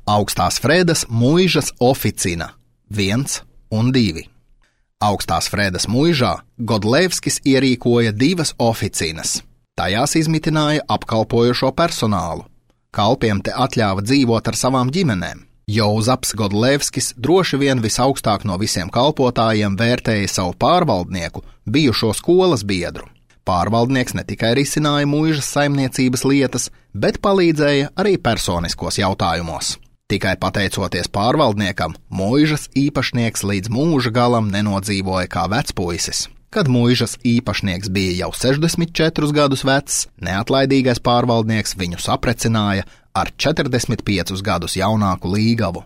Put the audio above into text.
Augstās Fredas muižas oficina 1 un 2. Augstās Fredas muižā Godlevskis ierīkoja 2 oficinas. Tajās izmitināja apkalpojošo personālu. Kalpiem te atļāva dzīvot ar savām ģimenēm. Jozaps Godlevskis droši vien visaugstāk no visiem kalpotājiem vērtēja savu pārvaldnieku, bijušo skolas biedru. Pārvaldnieks ne tikai risināja muižas saimniecības lietas, bet palīdzēja arī personiskos jautājumos. Tikai pateicoties pārvaldniekam, muižas īpašnieks līdz mūža galam nenodzīvoja kā vecpuisis. Kad muižas īpašnieks bija jau 64 gadus vecs, neatlaidīgais pārvaldnieks viņu saprecināja ar 45 gadus jaunāku līgavu.